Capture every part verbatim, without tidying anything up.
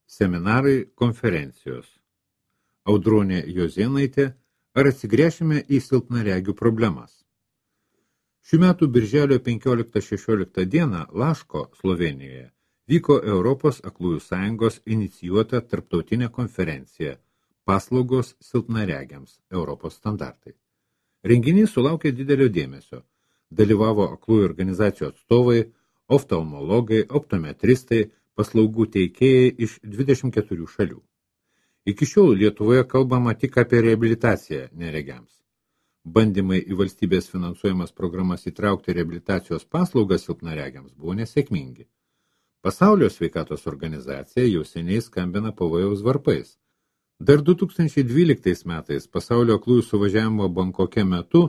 Seminarai, konferencijos. Audronė Jozėnaitė, ar atsigręšime į silpnaregių problemas? Šių metų birželio penkioliktą šešioliktą dieną Laško, Slovėnijoje, vyko Europos aklųjų sąjungos inicijuota tarptautinė konferencija Paslaugos silpnaregiams Europos standartai. Renginys sulaukė didelio dėmesio. Dalyvavo aklųjų organizacijų atstovai, oftalmologai, optometristai, paslaugų teikėjai iš dvidešimt keturių šalių. Iki šiol Lietuvoje kalbama tik apie reabilitaciją neregiams. Bandymai į valstybės finansuojamas programas įtraukti reabilitacijos paslaugas silpnaregiams buvo nesėkmingi. Pasaulio sveikatos organizacija jau seniai skambina pavojaus varpais. Dar du tūkstančiai dvyliktais metais pasaulio aklųjų suvažiavimo Bankoke metu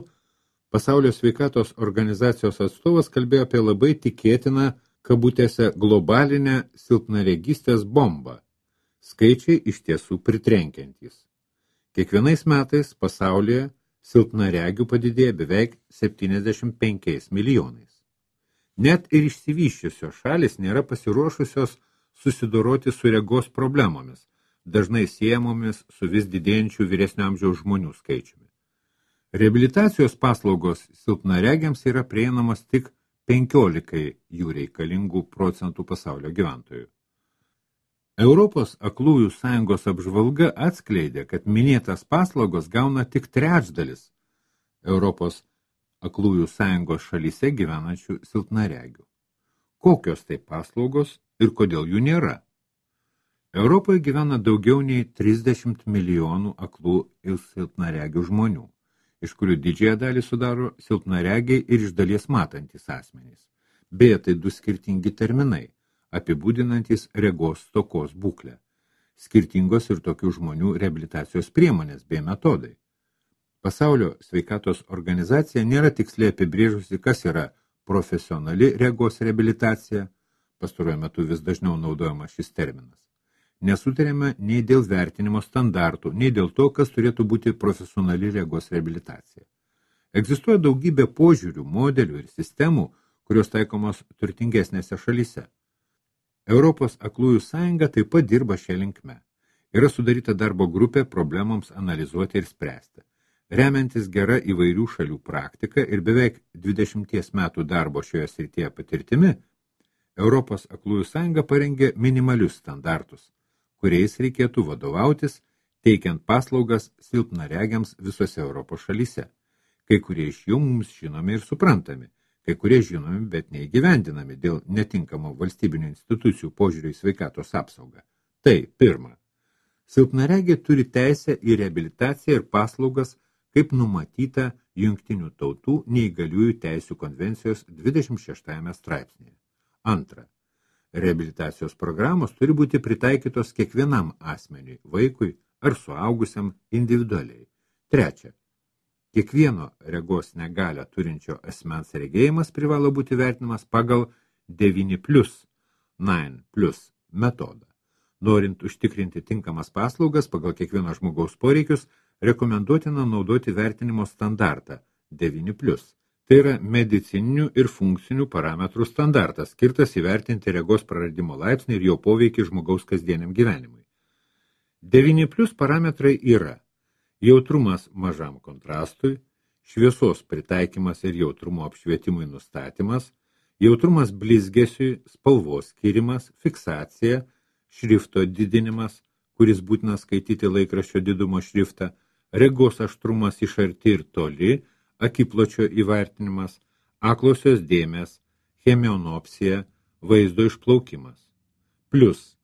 Pasaulio sveikatos organizacijos atstovas kalbėjo apie labai tikėtiną kabutėse globalinę silpnaregystės bombą. Skaičiai iš tiesų pritrenkiantys. Kiekvienais metais pasaulyje silpnaregių padidėja beveik septyniasdešimt penkiais milijonais. Net ir išsivysčiusios šalis nėra pasiruošusios susidoroti su regos problemomis, dažnai siejamomis su vis didėjančiu vyresnio amžiaus žmonių skaičiumi. Reabilitacijos paslaugos silpnaregiams yra prieinamos tik penkiolikai jų reikalingų procentų pasaulio gyventojų. Europos aklųjų sąjungos apžvalga atskleidė, kad minėtas paslaugos gauna tik trečdalis Europos aklųjų sąjungos šalyse gyvenančių silpnaregių. Kokios tai paslaugos ir kodėl jų nėra? Europoje gyvena daugiau nei trisdešimt milijonų aklų ir silpnaregių žmonių, iš kurių didžiąją dalį sudaro silpnaregiai ir iš dalies matantys asmenys. Beje, tai du skirtingi terminai, apibūdinantys regos stokos būklę. Skirtingos ir tokių žmonių reabilitacijos priemonės bei metodai. Pasaulio sveikatos organizacija nėra tiksliai apibrėžusi, kas yra profesionali regos reabilitacija, pastaruoju metu vis dažniau naudojamas šis terminas. Nesutarėme nei dėl vertinimo standartų, nei dėl to, kas turėtų būti profesionali regos reabilitacija. Egzistuoja daugybė požiūrių, modelių ir sistemų, kurios taikomos turtingesnėse šalyse. Europos aklųjų sąjunga taip pat dirba šią linkme. Yra sudaryta darbo grupė problemams analizuoti ir spręsti. Remiantis gera įvairių šalių praktika ir beveik dvidešimties metų darbo šioje srityje patirtimi, Europos aklųjų sąjunga parengė minimalius standartus, kuriais reikėtų vadovautis, teikiant paslaugas silpnaregiams visose Europos šalyse. Kai kurie iš jų mums žinomi ir suprantami, kai kurie žinomi, bet neįgyvendinami dėl netinkamo valstybinių institucijų požiūrio į sveikatos apsaugą. Tai, pirma, silpnaregiai turi teisę į reabilitaciją ir paslaugas, kaip numatyta Jungtinių tautų neįgaliųjų teisių konvencijos dvidešimt šeštajame straipsnėje. Antra, reabilitacijos programos turi būti pritaikytos kiekvienam asmeniui, vaikui ar suaugusiam individualiai. Trečia, kiekvieno regos negalią turinčio asmens regėjimas privalo būti vertinamas pagal devyni plus, devyni plus metodą. Norint užtikrinti tinkamas paslaugas pagal kiekvieno žmogaus poreikius, rekomenduotina naudoti vertinimo standartą devyni plus. Tai yra medicininių ir funkcinių parametrų standartas, skirtas įvertinti regos praradimo laipsnį ir jo poveikį žmogaus kasdieniam gyvenimui. devyni plus parametrai yra jautrumas mažam kontrastui, šviesos pritaikymas ir jautrumo apšvietimui nustatymas, jautrumas blizgesiui, spalvos skirimas, fiksacija, šrifto didinimas, kuris būtina skaityti laikraščio didumo šriftą, regos aštrumas iš arti ir toli, akipločio įvertinimas, aklosios dėmės, chemionopsija, vaizdo išplaukimas. Plius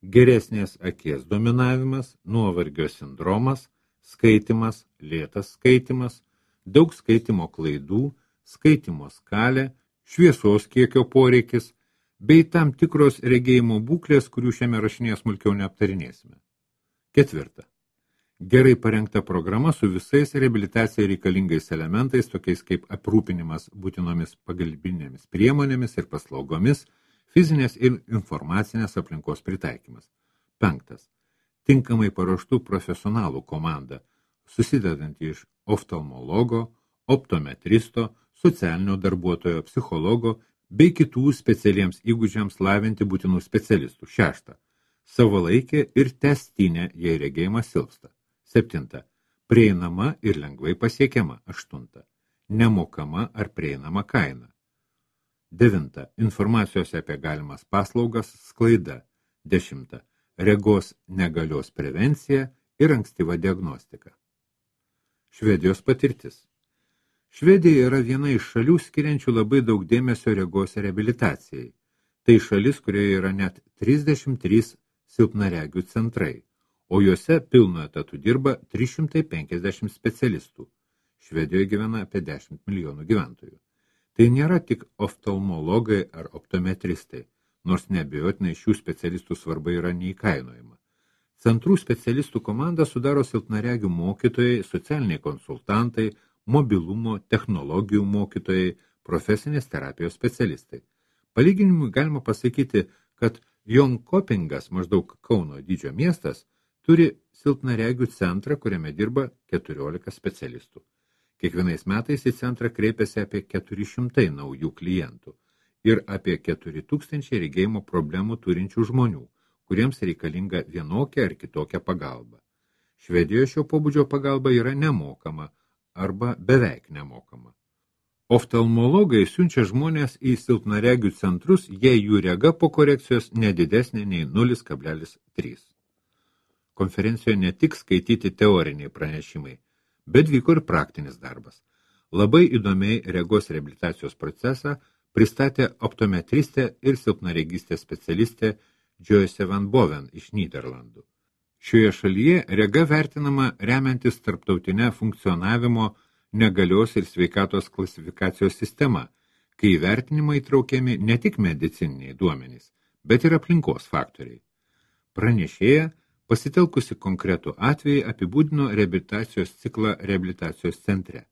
geresnės akies dominavimas, nuovargio sindromas, skaitimas, lėtas skaitimas, daug skaitimo klaidų, skaitimo skalė, šviesos kiekio poreikis, bei tam tikros regėjimo būklės, kurių šiame rašinėje smulkiau neaptarinėsime. Ketvirta. Gerai parengta programa su visais reabilitacijai reikalingais elementais, tokiais kaip aprūpinimas būtinomis pagalbinėmis priemonėmis ir paslaugomis, fizinės ir informacinės aplinkos pritaikymas. Penktas. Tinkamai paruoštų profesionalų komanda, susidedanti iš oftalmologo, optometristo, socialinio darbuotojo, psichologo bei kitų specialiems įgūdžiams lavinti būtinų specialistų. Šešta. savalaikė ir tęstinė, jei regėjimas silpsta. Septinta. Prieinama ir lengvai pasiekiama. Aštunta. Nemokama ar prieinama kaina. Devinta. Informacijos apie galimas paslaugas sklaida. Dešimta. Regos negalios prevencija ir ankstyva diagnostika. Švedijos patirtis. Švedija yra viena iš šalių skiriančių labai daug dėmesio regos reabilitacijai. Tai šalis, kurioje yra net trisdešimt trys silpnaregių centrai, o juose pilnu etatu dirba trys šimtai penkiasdešimt specialistų. Švedijoje gyvena apie dešimt milijonų gyventojų. Tai nėra tik oftalmologai ar optometristai, nors neabejotinai šių specialistų svarba yra neįkainojama. Centrų specialistų komandą sudaro silpnaregių mokytojai, socialiniai konsultantai, mobilumo, technologijų mokytojai, profesinės terapijos specialistai. Palyginimui galima pasakyti, kad Jonkopingas, maždaug Kauno dydžio miestas, turi silpnaregių centrą, kuriame dirba keturiolika specialistų. Kiekvienais metais į centrą kreipiasi apie keturi šimtai naujų klientų ir apie keturi tūkstančiai regėjimo problemų turinčių žmonių, kuriems reikalinga vienokia ar kitokia pagalba. Švedijoje šio pobūdžio pagalba yra nemokama arba beveik nemokama. Oftalmologai siunčia žmonės į silpnaregių centrus, jei jų rega po korekcijos nedidesnė nei nulis kablelis trys. Konferencijoje ne tik skaityti teoriniai pranešimai, bet vyko ir praktinis darbas. Labai įdomiai regos reabilitacijos procesą pristatė optometristė ir silpnaregystės specialistė Joyce Van Boven iš Nyderlandų. Šioje šalyje rega vertinama remiantis tarptautinę funkcionavimo negalios ir sveikatos klasifikacijos sistema, kai įvertinimai įtraukiami ne tik medicininiai duomenys, bet ir aplinkos faktoriai. Pranešėja, pasitelkusi konkretų atvejį, apibūdino reabilitacijos ciklą reabilitacijos centre.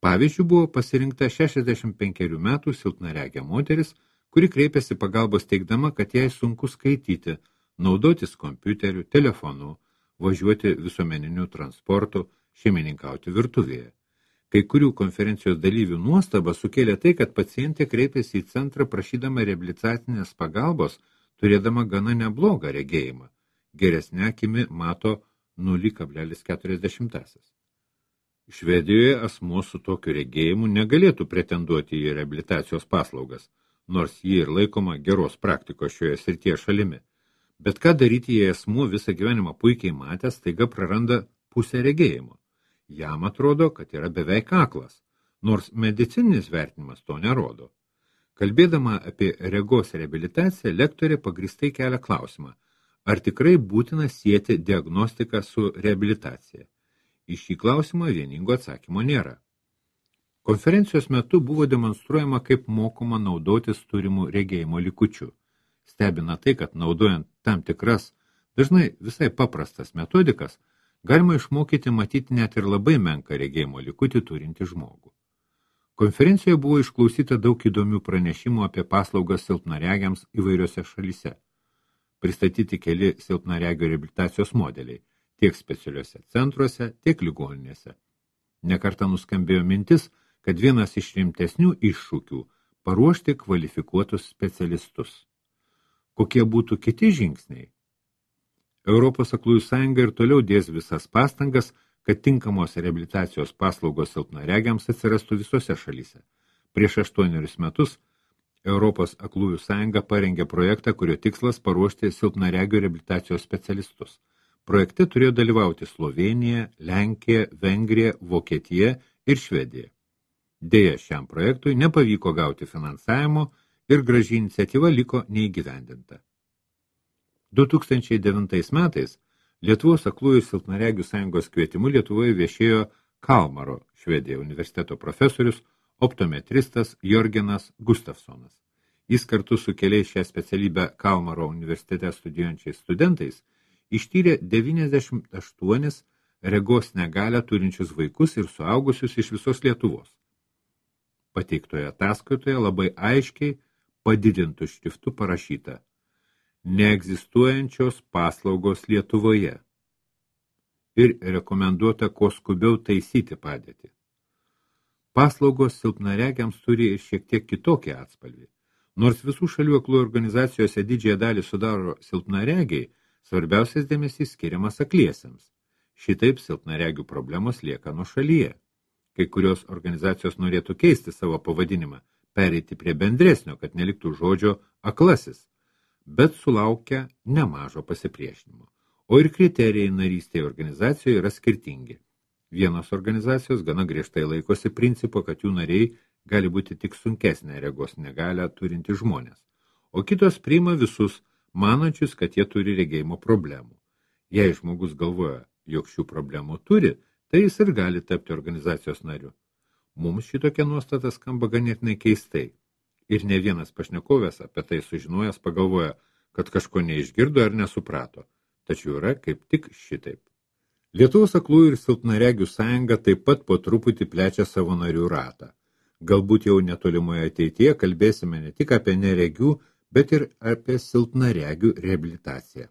Pavyzdžiui, buvo pasirinkta šešiasdešimt penkerių metų silpnaregė moteris, kuri kreipėsi pagalbos teigdama, kad jai sunku skaityti, naudotis kompiuteriu, telefonu, važiuoti visuomeniniu transportu, šeimininkauti virtuvėje. Kai kurių konferencijos dalyvių nuostaba sukėlė tai, kad pacientė kreipėsi į centrą prašydama reabilitacinės pagalbos, turėdama gana neblogą regėjimą. Geresnė akimi mato nulis kablelis keturiasdešimt. Švedijoje asmuo su tokiu regėjimu negalėtų pretenduoti į reabilitacijos paslaugas, nors ji ir laikoma geros praktikos šioje srityje šalimi. Bet ką daryti, jei asmuo visą gyvenimą puikiai matęs, staiga praranda pusę regėjimo? Jam atrodo, kad yra beveik aklas, nors medicininis vertinimas to nerodo. Kalbėdama apie regos reabilitaciją, lektorė pagristai kelia klausimą, ar tikrai būtina sieti diagnostiką su reabilitacija. Į šį klausimą vieningo atsakymo nėra. Konferencijos metu buvo demonstruojama, kaip mokoma naudotis turimų regėjimo likučių. Stebina tai, kad naudojant tam tikras, dažnai visai paprastas metodikas, galima išmokyti matyti net ir labai menką regėjimo likutį turinti žmogų. Konferencijoje buvo išklausyta daug įdomių pranešimų apie paslaugas silpnaregiams įvairiose šalyse. Pristatyti keli silpnaregio reabilitacijos modeliai, tiek specialiuose centruose, tiek ligoninėse. Nekartą nuskambėjo mintis, kad vienas iš rimtesnių iššūkių – paruošti kvalifikuotus specialistus. Kokie būtų kiti žingsniai? Europos aklųjų sąjunga ir toliau dės visas pastangas, kad tinkamos reabilitacijos paslaugos silpnaregiams atsirastų visose šalyse. Prieš aštuonerius metus Europos aklųjų sąjunga parengė projektą, kurio tikslas paruošti silpnaregio reabilitacijos specialistus. Projekte turėjo dalyvauti Slovėnija, Lenkija, Vengrija, Vokietija ir Švedija. Deja, šiam projektui nepavyko gauti finansavimo ir graži iniciatyva liko neįgyvendinta. du tūkstančiai devintais metais Lietuvos aklųjų silpnaregių sąjungos kvietimu Lietuvoje viešėjo Kalmaro, Švedija universiteto profesorius, optometristas Jorgenas Gustafsonas. Jis kartu su keliais šią specialybę Kalmaro universitete studijuojančiais studentais ištyrė devyniasdešimt aštuonis regos negalią turinčius vaikus ir suaugusius iš visos Lietuvos. Pateiktoje ataskaitoje labai aiškiai padidintų šriftu parašyta neegzistuojančios paslaugos Lietuvoje ir rekomenduota kuo skubiau taisyti padėtį. Paslaugos silpnaregiams turi ir šiek tiek kitokį atspalvį. Nors visų šalių aklųjų organizacijose didžiąją dalį sudaro silpnaregiai, Svarbiausias dėmesys skiriamas akliesiems. Šitaip silpnaregių problemos lieka nuošalyje. Kai kurios organizacijos norėtų keisti savo pavadinimą, pereiti prie bendresnio, kad neliktų žodžio aklasis, bet sulaukia nemažo pasipriešinimo. O ir kriterijai narystėje organizacijoje yra skirtingi. Vienos organizacijos gana griežtai laikosi principo, kad jų nariai gali būti tik sunkesnė regos negalią turinti žmonės, o kitos priima visus, manančius, kad jie turi regėjimo problemų. Jei žmogus galvoja, jog šių problemų turi, tai jis ir gali tapti organizacijos nariu. Mums šitokia nuostata skamba ganėtinai keistai. Ir ne vienas pašnekovės apie tai sužinojęs pagalvoja, kad kažko neišgirdo ar nesuprato. Tačiau yra kaip tik šitaip. Lietuvos aklųjų ir silpnaregių sąjunga taip pat po truputį plečia savo narių ratą. Galbūt jau netolimoje ateityje kalbėsime ne tik apie neregių, bet ir apie silpnaregių reabilitaciją.